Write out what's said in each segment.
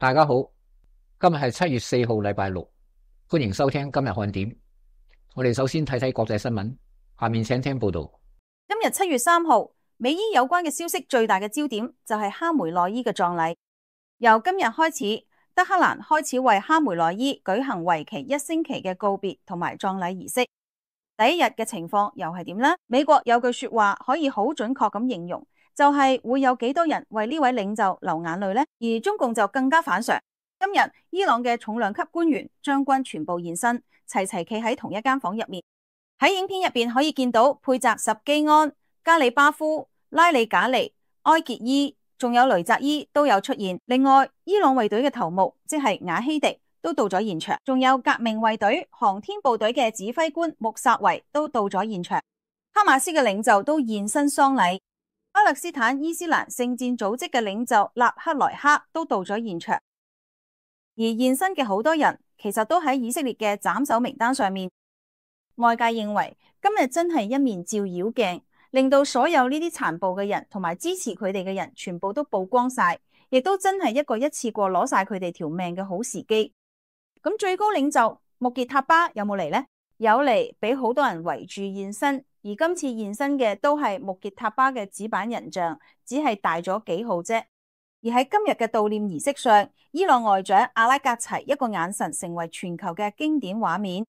大家好，今日係7月4號，禮拜六，歡迎收聽今日看點。我哋首先睇睇國際新聞，下面請聽報道。今日7月3號，美伊有關嘅消息最大嘅焦點就係哈梅內伊嘅葬禮。由今日開始，德黑蘭開始為哈梅內伊舉行為期1星期嘅告別同埋葬禮儀式。第一日嘅情況又係點呢？美國有句說話可以好準確咁形容，就係會有幾多人為呢位領袖流眼淚呢？而中共就更加反常。今日伊朗嘅重量級官員將軍全部現身，齊齊企喺同一間房入面。喺影片入邊可以見到佩澤什基安、加里巴夫、拉里賈尼、埃傑伊，仲有雷澤伊都有出現。另外，伊朗衛隊嘅頭目即係瓦希迪都到咗現場，仲有革命衛隊航天部隊嘅指揮官穆薩維都到咗現場。哈馬斯嘅領袖都現身喪禮，巴勒斯坦伊斯蘭聖戰組織嘅領袖納克萊克都到咗現場。而現身嘅好多人其實都喺以色列嘅斬首名單上面。外界認為今日真係一面照妖鏡，令到所有呢啲殘暴嘅人同埋支持佢哋嘅人全部都曝光晒，亦都真係一次過攞晒佢哋條命嘅好時機。咁最高領袖穆傑塔巴有冇嚟呢？有嚟，俾好多人圍住現身。而今次現身嘅都係穆傑塔巴嘅紙板人像，只係大咗幾號啫。而喺今日嘅悼念儀式上，伊朗外長阿拉格齊一個眼神成為全球嘅經典畫面。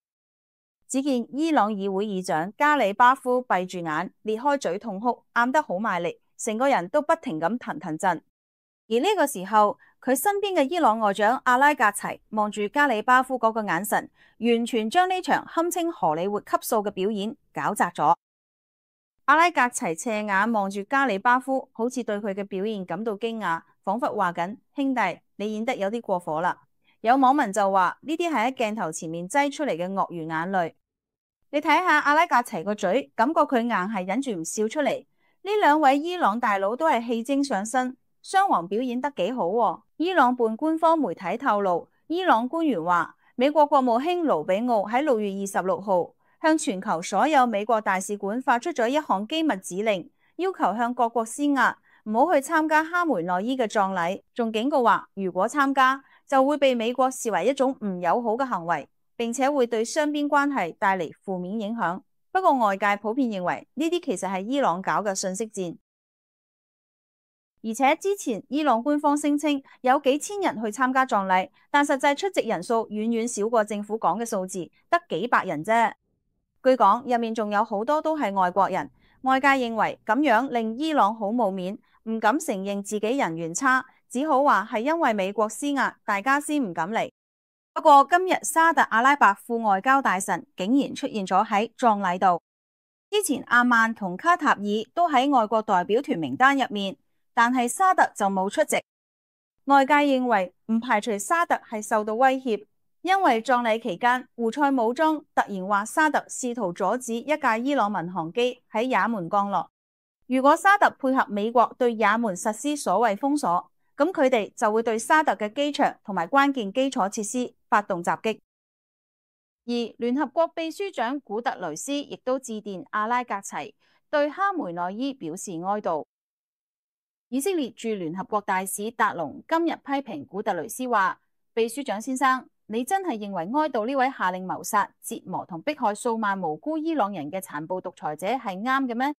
只見伊朗議會議長加里巴夫閉住眼，裂開嘴痛哭，喊得好賣力，成個人都不停咁騰騰震。而呢個時候，佢身邊嘅伊朗外長阿拉格齊望住加里巴夫嗰個眼神，完全將呢場堪稱荷里活級數嘅表演搞砸咗。阿拉格齊斜眼望住加里巴夫，好似對佢嘅表現感到驚訝，仿佛話緊：兄弟，你演得有啲過火啦。有網民就話呢啲係喺鏡頭前面擠出嚟嘅鱷魚眼淚。你睇下阿拉格齊個嘴，感覺佢硬係忍住唔笑出嚟。呢兩位伊朗大佬都係戲精上身，雙簧表演得幾好喎。伊朗半官方媒體透露，伊朗官員話，美國國務卿盧比奧喺6月26號向全球所有美國大使館發出咗一項機密指令，要求向各國施壓，唔好去參加哈梅內伊嘅葬禮，仲警告話，如果參加就會被美國視為一種唔友好嘅行為，並且會對雙邊關係帶嚟負面影響。不過外界普遍認為呢啲其實係伊朗搞嘅信息戰。而且之前伊朗官方聲稱有幾千人去參加葬禮，但實際出席人數遠遠少過政府講嘅數字，得幾百人啫。據講入面仲有好多都係外國人，外界認為咁樣令伊朗好冇面，唔敢承認自己人緣差，只好話係因為美國施壓，大家先唔敢嚟。不過今日沙特阿拉伯副外交大臣竟然出現咗喺葬禮度。之前阿曼同卡塔爾都喺外國代表團名單入面，但係沙特就冇出席。外界認為唔排除沙特係受到威脅，因為葬禮期間胡塞武裝突然話沙特試圖阻止一架伊朗民航機喺也門降落。如果沙特配合美國對也門實施所謂封鎖，咁佢哋就會對沙特嘅機場同埋關鍵基礎設施發動襲擊。而聯合國秘書長古特雷斯亦都致電阿拉格齊，對哈梅內伊表示哀悼。以色列駐聯合國大使達龍今日批評古特雷斯話：秘書長先生，你真係認為哀悼呢位下令謀殺、折磨同迫害數萬無辜伊朗人嘅殘暴獨裁者係啱嘅咩？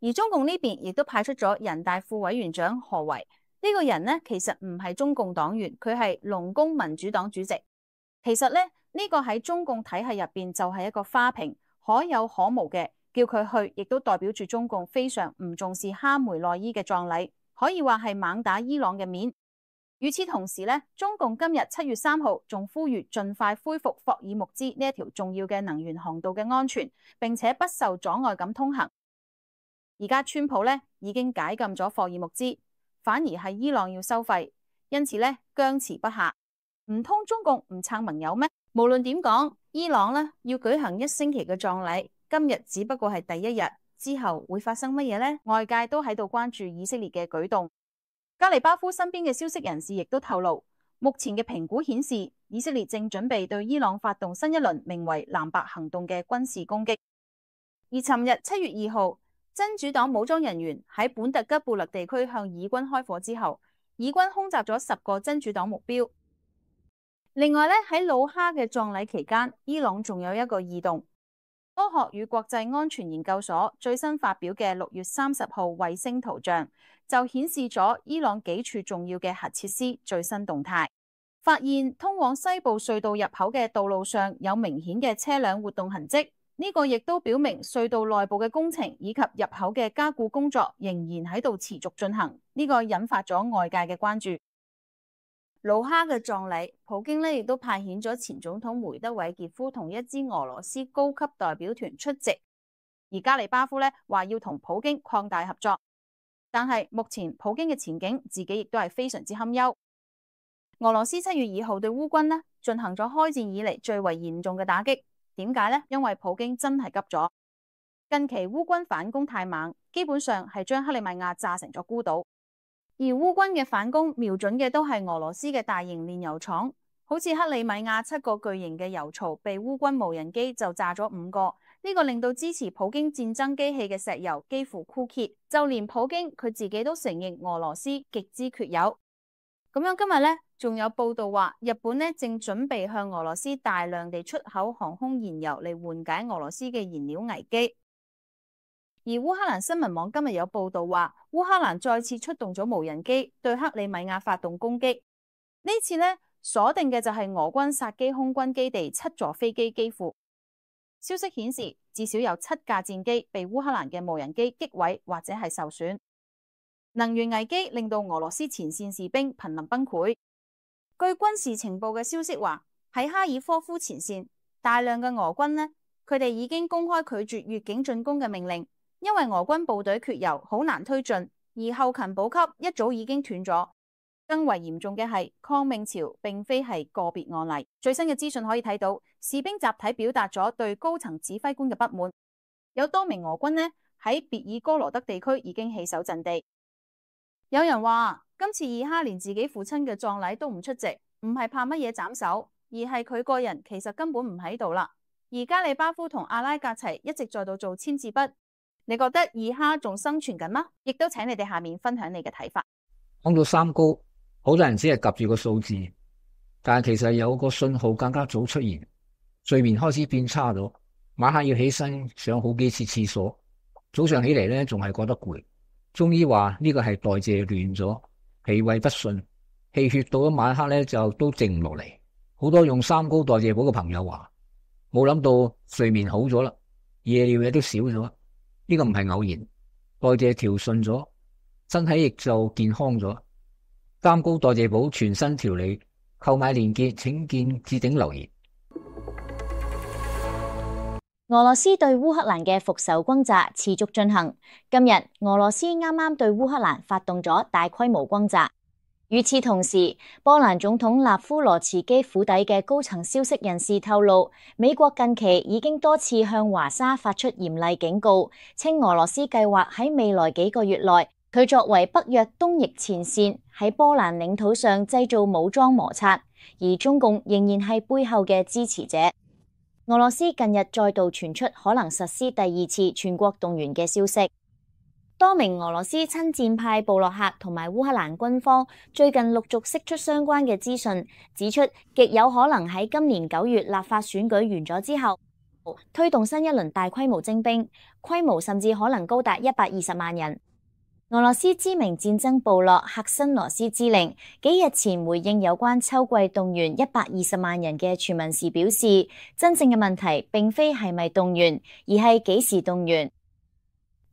而中共呢邊亦都派出咗人大副委員長何為。呢個人呢，其實唔係中共黨員，佢係農工民主黨主席。其實呢個喺中共體系入邊就係一個花瓶，可有可無嘅，叫佢去，亦都代表住中共非常唔重視哈梅內伊嘅葬禮，可以話係猛打伊朗嘅面。與此同時中共今日7月3號仲呼籲盡快恢復霍爾木茲呢一條重要嘅能源航道嘅安全，並且不受阻礙咁通行。而家川普已經解禁咗霍爾木茲，反而係伊朗要收費，因此僵持不下。唔通中共唔撐盟友咩？無論點講，伊朗要舉行1星期嘅葬禮，今日只不過係第一日，之後會發生乜嘢呢？外界都喺度關注以色列嘅舉動。加里巴夫身邊嘅消息人士亦都透露，目前嘅評估顯示，以色列正準備對伊朗發動新一輪名為藍白行動嘅軍事攻擊。而尋日7月2號，真主黨武裝人員喺本特吉布勒地區向以軍開火之後，以軍空襲咗10個真主黨目標。另外咧，喺魯哈嘅葬禮期間，伊朗仲有一個異動。科學與國際安全研究所最新發表嘅6月30號衛星圖像，就顯示咗伊朗幾處重要嘅核設施最新動態，發現通往西部隧道入口嘅道路上有明顯嘅車輛活動痕跡。呢個亦都表明隧道內部嘅工程以及入口嘅加固工作仍然喺度持續進行。呢個引發咗外界嘅關注。魯哈嘅葬禮，普京呢亦都派遣咗前總統梅德韋傑夫同一支俄羅斯高級代表團出席，而加里巴夫呢話要同普京擴大合作，但係目前普京嘅前景自己亦都係非常之堪憂。俄羅斯7月2號對烏軍呢進行咗開戰以嚟最為嚴重嘅打擊，點解呢？因為普京真係急咗，近期烏軍反攻太猛，基本上係將克里米亞炸成咗孤島。而烏軍嘅反攻瞄準嘅都係俄羅斯嘅大型煉油廠，好似克里米亞7個巨型嘅油槽被烏軍無人機就炸咗5個，呢個令到支持普京戰爭機器嘅石油幾乎枯竭，就連普京佢自己都承認俄羅斯極之缺油。咁樣今日呢，仲有報道話日本呢正準備向俄羅斯大量地出口航空燃油嚟緩解俄羅斯嘅燃料危機。而烏克蘭新聞網今日有報道話，烏克蘭再次出動咗無人機對克里米亞發動攻擊。呢次呢，鎖定嘅就係俄軍薩基空軍基地7座飛機機庫。消息顯示，至少有7架戰機被烏克蘭嘅無人機擊毀或者係受損。能源危機令到俄羅斯前線士兵瀕臨崩潰。據軍事情報嘅消息話，喺哈爾科夫前線，大量嘅俄軍呢，佢哋已經公開拒絕越境進攻嘅命令。因為俄軍部隊缺油，好難推進，而後勤補給一早已經斷咗。更為嚴重嘅係抗命潮並非係個別案例。最新嘅資訊可以睇到，士兵集體表達咗對高層指揮官嘅不滿。有多名俄軍呢喺別爾哥羅德地區已經棄守陣地。有人話今次以哈連自己父親嘅葬禮都唔出席，唔係怕乜嘢斬首，而係佢個人其實根本唔喺度啦。而加里巴夫同阿拉格齊一直在度做簽字筆。你覺得以哈仲生存緊嗎？亦都請你哋下面分享你嘅睇法。講到三高，好多人只係夾住個數字，但係其實有個信號更加早出現，睡眠開始變差咗，晚黑要起身上好幾次廁所，早上起嚟咧仲係覺得攰。中醫話呢個係代謝亂咗，脾胃不順，氣血到咗晚黑咧就都靜唔落嚟。好多用三高代謝補嘅朋友話，冇諗到睡眠好咗啦，夜尿嘢都少咗。呢個唔係偶然，代謝調順咗，身體亦就健康咗。三高代謝補全新調理，購買鏈接請見置頂留言。俄羅斯對烏克蘭嘅復仇轟炸持續進行。今日俄羅斯啱啱對烏克蘭發動咗大規模轟炸。與此同時，波蘭總統納夫羅茨基府邸嘅高層消息人士透露，美國近期已經多次向華沙發出嚴厲警告，稱俄羅斯計劃喺未來幾個月內，佢作為北約東翼前線，喺波蘭領土上製造武裝摩擦，而中共仍然係背後嘅支持者。俄羅斯近日再度傳出可能實施第2次全國動員嘅消息。多名俄羅斯親戰派部落客同埋烏克蘭軍方最近陸續釋出相關嘅資訊，指出極有可能喺今年9月立法選舉完咗之後，推動新一輪大規模徵兵，規模甚至可能高達120萬人。俄羅斯知名戰爭部落赫辛羅斯之令幾日前回應有關秋季動員120萬人嘅傳聞時表示，真正嘅問題並非係咪動員，而係幾時動員。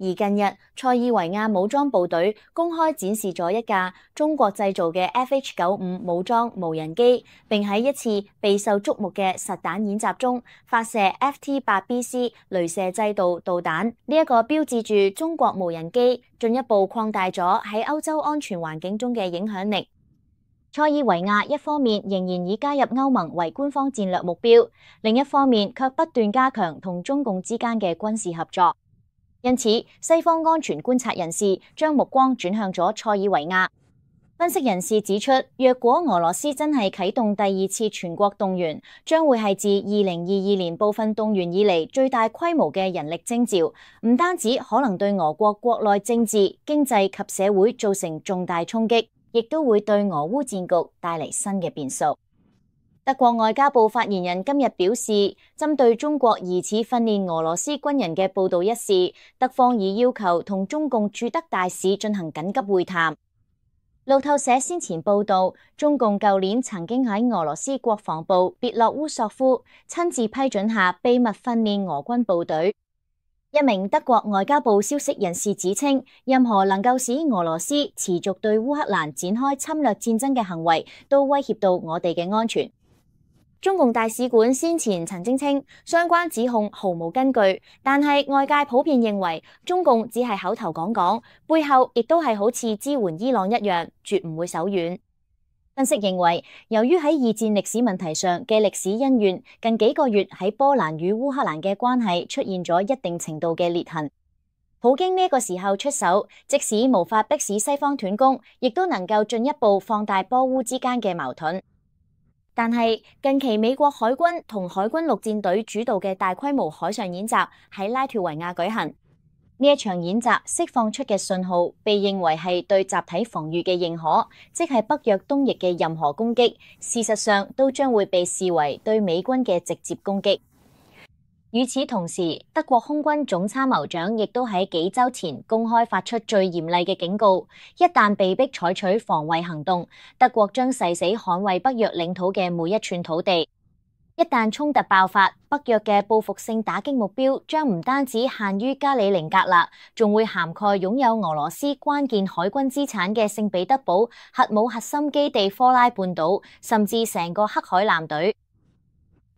而近日，塞爾維亞武裝部隊公開展示咗一架中國製造嘅 FH-95武裝無人機，並喺一次備受矚目嘅實彈演習中發射 FT-8BC 雷射制導導彈。呢一個標誌住中國無人機進一步擴大咗喺歐洲安全環境中嘅影響力。塞爾維亞一方面仍然以加入歐盟為官方戰略目標，另一方面卻不斷加強同中共之間嘅軍事合作。因此，西方安全觀察人士將目光轉向咗塞爾維亞。分析人士指出，若果俄羅斯真係啟動第2次全國動員，將會係自2022年部分動員以嚟最大規模嘅人力徵召，唔單止可能對俄國國內政治、經濟及社會造成重大衝擊，亦都會對俄烏戰局帶嚟新嘅變數。德國外交部發言人今日表示，針對中國疑似訓練俄羅斯軍人嘅報道一事，德方已要求同中共駐德大使進行緊急會談。路透社先前報道，中共舊年曾經喺俄羅斯國防部別洛烏索夫親自批准下秘密訓練俄軍部隊。一名德國外交部消息人士指稱，任何能夠使俄羅斯持續對烏克蘭展開侵略戰爭嘅行為，都威脅到我哋嘅安全。中共大使館先前曾經稱，相關指控毫無根據，但係外界普遍認為中共只係口頭講講，背後亦都係好似支援伊朗一樣，絕唔會手軟。分析認為，由於喺二戰歷史問題上嘅歷史恩怨，近幾個月喺波蘭與烏克蘭嘅關係出現咗一定程度嘅裂痕。普京呢個時候出手，即使無法迫使西方斷供，亦都能夠進一步放大波烏之間嘅矛盾。但係近期美國海軍同海軍陸戰隊主導嘅大規模海上演習喺拉脫維亞舉行，呢一場演習釋放出嘅信號被認為係對集體防禦嘅認可，即係北約東翼嘅任何攻擊，事實上都將會被視為對美軍嘅直接攻擊。與此同時，德國空軍總參謀長亦都喺幾週前公開發出最嚴厲嘅警告，一旦被迫採取防衛行動，德國將誓死捍衛北約領土嘅每一寸土地。一旦衝突爆發，北約嘅報復性打擊目標將唔單止限於加里寧格勒，仲會涵蓋擁有俄羅斯關鍵海軍資產嘅聖彼得堡核武核心基地科拉半島，甚至成個黑海艦隊。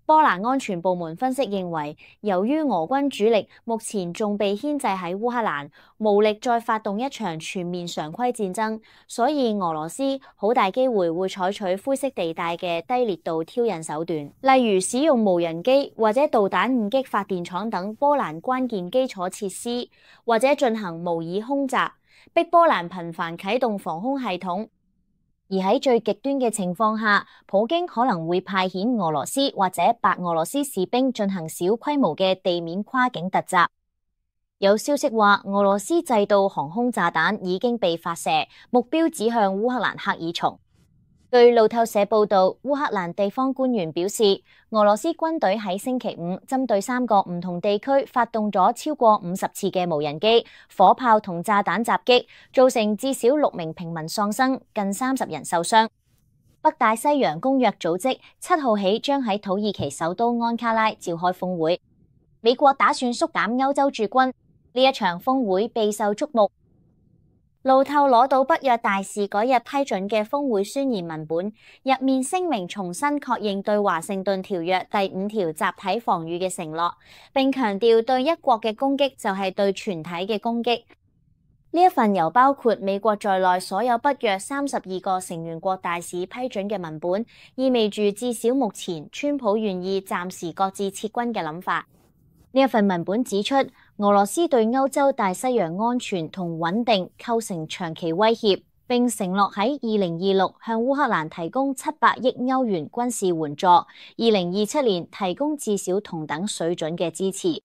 波蘭安全部門分析認為，由於俄軍主力目前仲被牽制喺烏克蘭，無力再發動一場全面常規戰爭，所以俄羅斯好大機會會採取灰色地帶嘅低烈度挑釁手段，例如使用無人機或者導彈誤擊發電廠等波蘭關鍵基礎設施，或者進行模擬空襲，逼波蘭頻繁啟動防空系統。而喺最極端嘅情況下，普京可能會派遣俄羅斯或者白俄羅斯士兵進行小規模嘅地面跨境突襲。有消息話，俄羅斯製導航空炸彈已經被發射，目標指向烏克蘭赫爾松。據路透社報道，烏克蘭地方官員表示，俄羅斯軍隊喺星期五針對3個唔同地區發動咗超過50次嘅無人機、火炮同炸彈襲擊，造成至少6名平民喪生，近30人受傷。北大西洋公約組織7號起將喺土耳其首都安卡拉召開峰會。美國打算縮減歐洲駐軍，呢一場峰會備受矚目。路透攞到北約大使嗰日批准嘅峰會宣言文本，入面聲明重新確認對華盛頓條約第5條集體防禦嘅承諾，並強調對一國嘅攻擊就係對全體嘅攻擊。呢一份由包括美國在內所有北約32個成員國大使批准嘅文本，意味住至少目前川普願意暫時擱置撤軍嘅諗法。呢一份文本指出，俄羅斯對歐洲大西洋安全同穩定構成長期威脅，並承諾喺2026向烏克蘭提供700億歐元軍事援助，2027年提供至少同等水準嘅支持。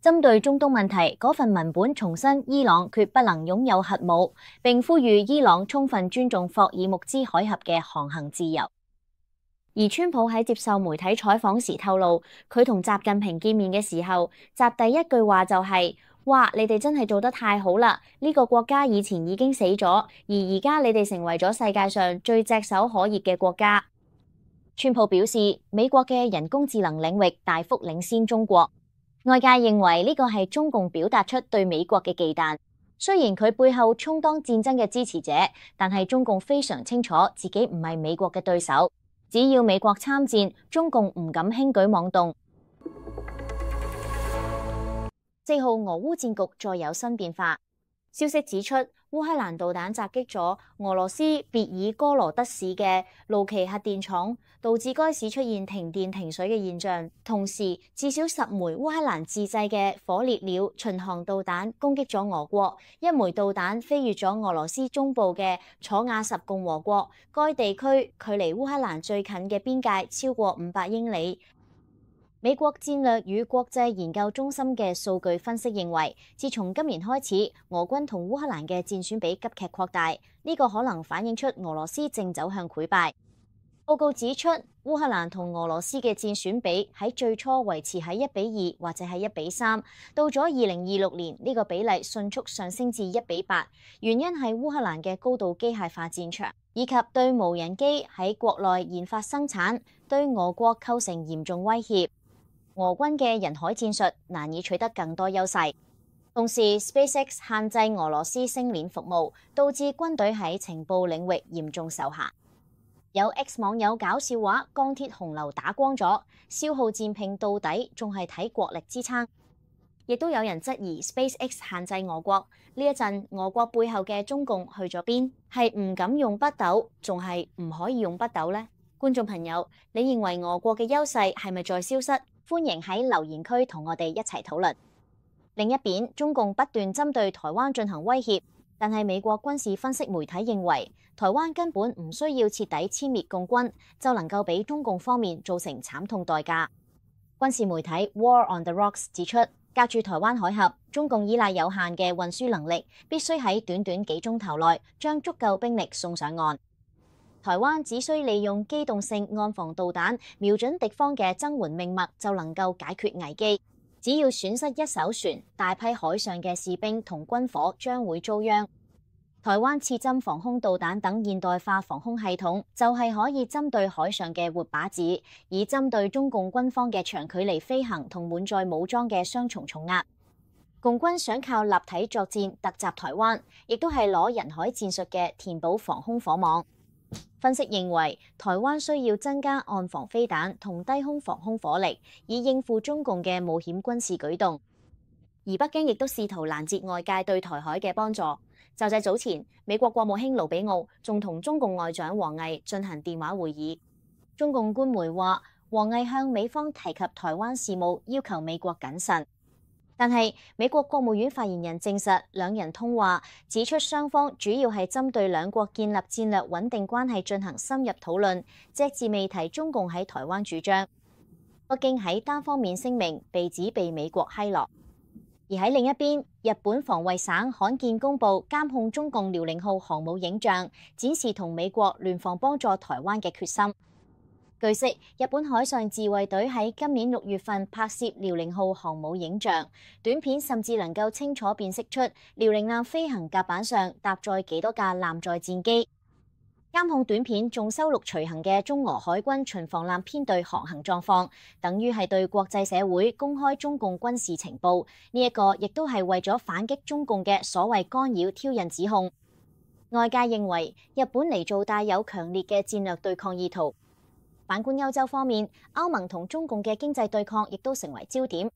針對中東問題，嗰份文本重申伊朗決不能擁有核武，並呼籲伊朗充分尊重霍爾木茲海峽嘅航行自由。而川普喺接受媒體採訪時透露，佢同習近平見面嘅時候，習第一句話就係：哇，你哋真係做得太好啦！呢個國家以前已經死咗，而而家你哋成為咗世界上最炙手可熱嘅國家。川普表示，美國嘅人工智能領域大幅領先中國，外界認為呢個係中共表達出對美國嘅忌憚。雖然佢背後充當戰爭嘅支持者，但係中共非常清楚自己唔係美國嘅對手。只要美國參戰，中共唔敢輕舉妄動。4號俄烏戰局再有新變化，消息指出，烏克蘭導彈襲擊咗俄羅斯別爾哥羅德市嘅盧奇核電廠，導致該市出現停電停水嘅現象。同時，至少10枚烏克蘭自製嘅火烈鳥巡航導彈攻擊咗俄國，一枚導彈飛越咗俄羅斯中部嘅楚瓦什共和國，該地區距離烏克蘭最近嘅邊界超過500英里。美國戰略與國際研究中心嘅數據分析認為，自從今年開始，俄軍同烏克蘭嘅戰損比急劇擴大，呢個可能反映出俄羅斯正走向潰敗。報告指出，烏克蘭同俄羅斯嘅戰損比喺最初維持喺1:2或者係1:3，到咗2026年呢個比例迅速上升至1:8，原因係烏克蘭嘅高度機械化戰場，以及對無人機喺國內研發生產，對俄國構成嚴重威脅。俄軍嘅人海戰術難以取得更多優勢，同時 SpaceX 限制俄羅斯星鏈服務，導致軍隊喺情報領域嚴重受限。有 X 網友搞笑話，鋼鐵洪流打光咗，消耗戰拼到底，仲係睇國力支撐。亦都有人質疑 SpaceX 限制俄國，呢一陣俄國背後嘅中共去咗邊？係唔敢用北斗，仲係唔可以用北斗呢？觀眾朋友，你認為俄國嘅優勢係咪在消失？歡迎喺留言區同我哋一齊討論。另一邊，中共不斷針對台灣進行威脅，但係美國軍事分析媒體認為，台灣根本唔需要徹底殲滅共軍，就能夠俾中共方面造成慘痛代價。軍事媒體 War on the Rocks 指出，隔住台灣海峽，中共依賴有限嘅運輸能力，必須喺短短幾鐘頭內將足夠兵力送上岸。台灣只需利用機動性岸防導彈瞄準敵方嘅增援命脈，就能夠解決危機。只要損失一艘船，大批海上嘅士兵同軍火將會遭殃。台灣刺針防空導彈等現代化防空系統，就係可以針對海上嘅活靶子，以針對中共軍方嘅長距離飛行同滿載武裝嘅雙重重壓。共軍想靠立體作戰突襲台灣，亦都係攞人海戰術嘅填補防空火網。分析認為，台灣需要增加岸防飛彈同低空防空火力，以應付中共嘅冒險軍事舉動。而北京亦都試圖攔截外界對台海嘅幫助。就喺早前，美國國務卿盧比奧仲同中共外長王毅進行電話會議。中共官媒話，王毅向美方提及台灣事務，要求美國謹慎。但係美國國務院發言人證實，兩人通話，指出雙方主要係針對兩國建立戰略穩定關係進行深入討論，隻字未提中共喺台灣主張。北京喺單方面聲明，被指被美國奚落。而喺另一邊，日本防衛省罕見公布監控中共遼寧號航母影像，展示同美國聯防幫助台灣嘅決心。據悉，日本海上自衛隊喺今年6月份拍攝遼寧號航母影像，短片甚至能夠清楚辨識出遼寧艦飛行甲板上搭載幾多架艦載戰機。監控短片仲收錄隨行嘅中俄海軍巡防艦編隊航行狀況，等於係對國際社會公開中共軍事情報。呢一個亦都係為咗反擊中共嘅所謂干擾挑釁指控。外界認為日本嚟做帶有強烈嘅戰略對抗意圖。反觀歐洲方面，歐盟同中共嘅經濟對抗亦都成為焦點。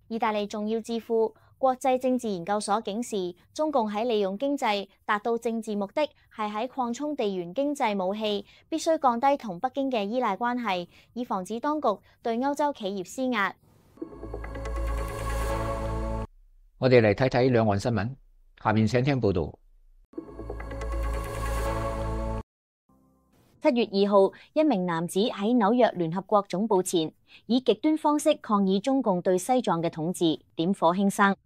意大利重要智庫國際政治研究所警示，中共喺利用經濟達到政治目的，係喺擴充地緣經濟武器，必須降低同北京嘅依賴關係，以防止當局對歐洲企業施壓。我哋嚟睇睇兩岸新聞，下面請聽報道。7月2號，一名男子喺紐約聯合國總部前，以極端方式抗議中共對西藏嘅統治，點火輕生。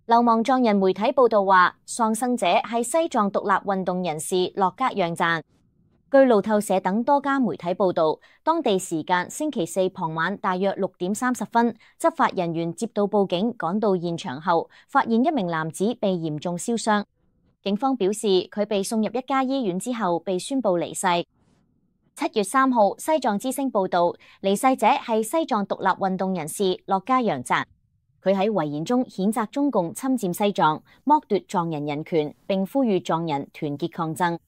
流亡藏人媒體報道話，喪生者係西藏獨立運動人士洛格讓贊。據路透社等多家媒體報道，當地時間星期四傍晚大約6點30分，執法人員接到報警，趕到現場後，發現一名男子被嚴重燒傷。警方表示，佢被送入一家醫院之後，被宣布離世。7月3號，西藏之聲報道，離世者係西藏獨立運動人士洛格讓贊。佢喺遺言中譴責中共侵佔西藏，剝奪藏人人權，並呼籲藏人團結抗爭。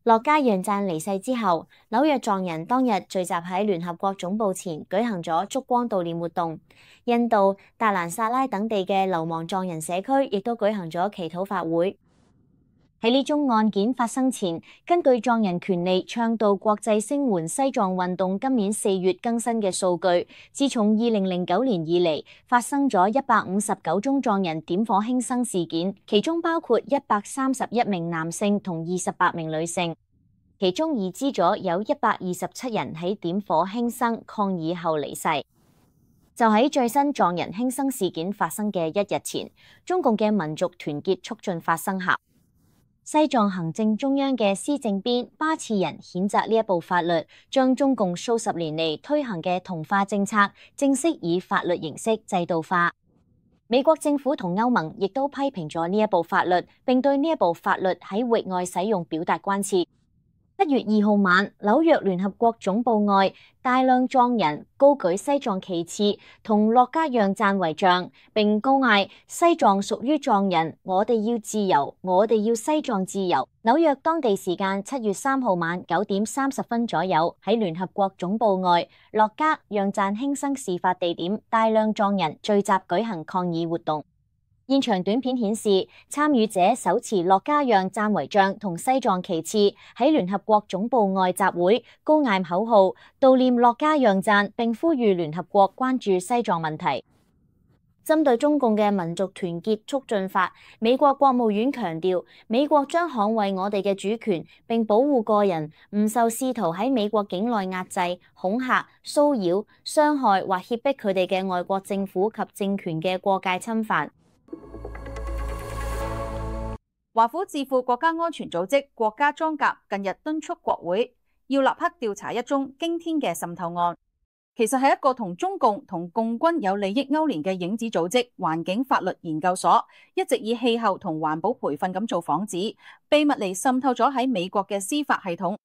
洛格讓贊離世之後，紐約藏人當日聚集喺聯合國總部前舉行咗燭光悼念活動。印度、達蘭薩拉等地嘅流亡藏人社區亦都舉行咗祈禱法會。喺呢宗案件發生前，根據藏人權利倡導國際聲援西藏運動今年4月更新嘅數據，自從2009年以嚟，發生咗159宗藏人點火輕生事件，其中包括131名男性同28名女性，其中已知咗有127人喺點火輕生抗議後離世。就喺最新撞人輕生事件發生嘅一日前，中共嘅民族團結促進法生效。西藏行政中央嘅施政編巴次仁譴責呢一部法律，將中共數十年嚟推行嘅同化政策正式以法律形式制度化。美國政府同歐盟亦都批評咗呢一部法律，並對呢一部法律喺域外使用表達關切。1月2號晚，紐約聯合國總部外，大量藏人高舉西藏旗幟同樂嘉讓贊遺像，並高嗌西藏屬於藏人，我哋要自由，我哋要西藏自由。紐約當地時間7月3號晚9點30分左右，喺聯合國總部外，樂嘉讓贊輕生事發地點，大量藏人聚集舉行抗議活動。現場短片顯示，參與者手持樂嘉讓贊遺像同西藏旗幟喺聯合國總部外集會，高嗌口號，悼念樂嘉讓贊，並呼籲聯合國關注西藏問題。針對中共嘅民族團結促進法，美國國務院強調，美國將捍衛我哋嘅主權，並保護個人唔受試圖喺美國境內壓制、恐嚇、騷擾、傷害或脅迫佢哋嘅外國政府及政權嘅過界侵犯。華府智庫國家安全組織國家裝甲近日敦促國會要立刻調查一宗驚天嘅滲透案，其實係一個同中共同共軍有利益勾連嘅影子組織環境法律研究所，一直以氣候同環保培訓咁做幌子，秘密嚟滲透咗喺美國嘅司法系統，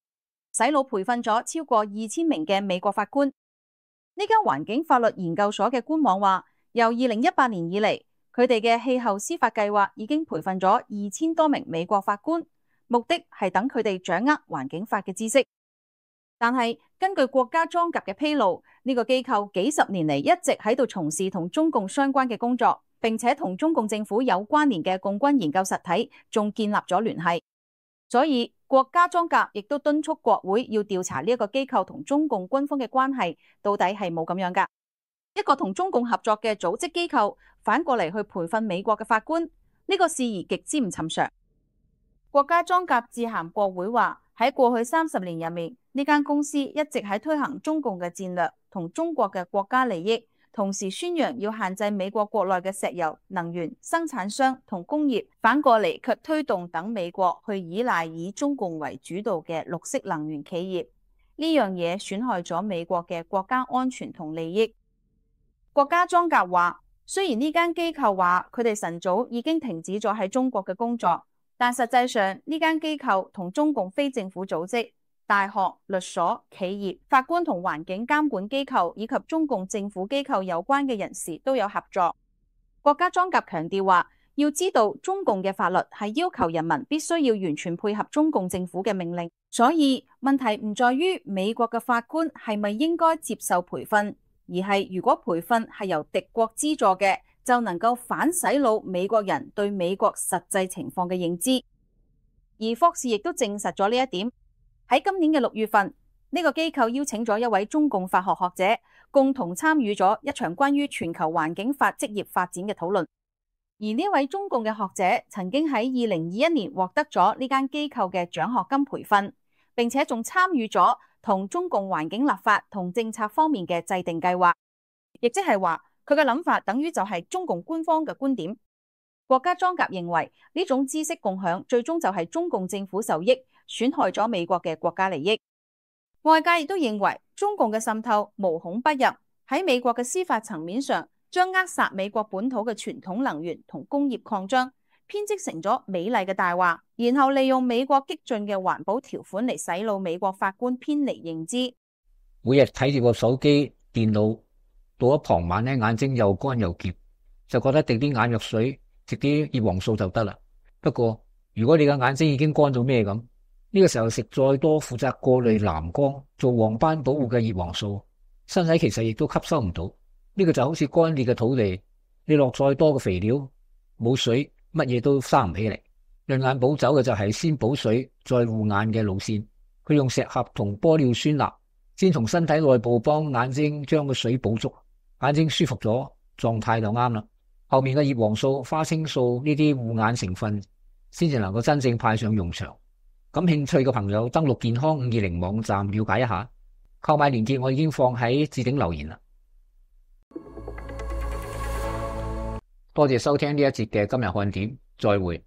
洗腦培訓咗超過2000名嘅美國法官。呢間環境法律研究所嘅官網話，由2018年以嚟，佢哋嘅氣候司法計劃已經培訓咗2000多名美國法官，目的係等佢哋掌握環境法嘅知識。但係根據國家裝甲嘅披露，呢個機構幾十年嚟一直喺度從事同中共相關嘅工作，並且同中共政府有關聯嘅共軍研究實體仲建立咗聯繫。所以國家裝甲亦都敦促國會要調查呢一個機構同中共軍方嘅關係到底係冇咁樣㗎。一個同中共合作嘅組織機構反過嚟去培訓美國嘅法官，呢個事宜極之唔尋常。國家裝甲致函國會話，喺過去30年入面，呢間公司一直喺推行中共嘅戰略同中國嘅國家利益，同時宣揚要限制美國國內嘅石油、能源生產商同工業，反過嚟卻推動等美國去依賴以中共為主導嘅綠色能源企業。呢樣嘢損害咗美國嘅國家安全同利益。國家裝甲話，雖然呢間機構話佢哋晨早已經停止咗喺中國嘅工作，但實際上呢間機構同中共非政府組織、大學、律所、企業、法官同環境監管機構以及中共政府機構有關嘅人士都有合作。國家裝甲強調話，要知道中共嘅法律係要求人民必須要完全配合中共政府嘅命令，所以問題唔在於美國嘅法官係咪應該接受培訓，而係如果培訓係由敵國資助嘅，就能夠反洗腦美國人對美國實際情況嘅認知。而霍士亦都證實咗呢一點。喺今年嘅6月份，呢個機構邀請咗一位中共法學學者，共同參與咗一場關於全球環境法職業發展嘅討論。而呢位中共嘅學者曾經喺2021年獲得咗呢間機構嘅獎學金培訓，並且仲參與咗同中共環境立法同政策方面嘅制定計劃，亦即係話佢嘅諗法等於就係中共官方嘅觀點。國家裝甲認為呢種知識共享最終就係中共政府受益，損害咗美國嘅國家利益。外界亦都認為中共嘅滲透無孔不入，喺美國嘅司法層面上將扼殺美國本土嘅傳統能源同工業擴張編織成咗美麗嘅大話，然後利用美國激進嘅環保條款嚟洗腦美國法官偏離認知。每日睇住個手機、電腦，到咗傍晚咧，眼睛又乾又澀，就覺得滴啲眼藥水、食啲葉黃素就得啦。不過如果你嘅眼睛已經乾到咩咁，呢個時候食再多負責過濾藍光、做黃斑保護嘅葉黃素，身體其實亦都吸收唔到。呢個就好似乾裂嘅土地，你落再多嘅肥料，冇水，乜嘢都生唔起嚟。潤眼補酒嘅就係先補水再護眼嘅路線，佢用石斛同玻尿酸鈉先從身體內部幫眼睛將個水補足，眼睛舒服咗，狀態就啱啦。後面嘅葉黃素、花青素呢啲護眼成分先至能夠真正派上用場。感興趣嘅朋友登錄健康520網站了解一下，購買鏈接我已經放喺置頂留言啦。多謝收聽呢一節嘅今日看點，再會。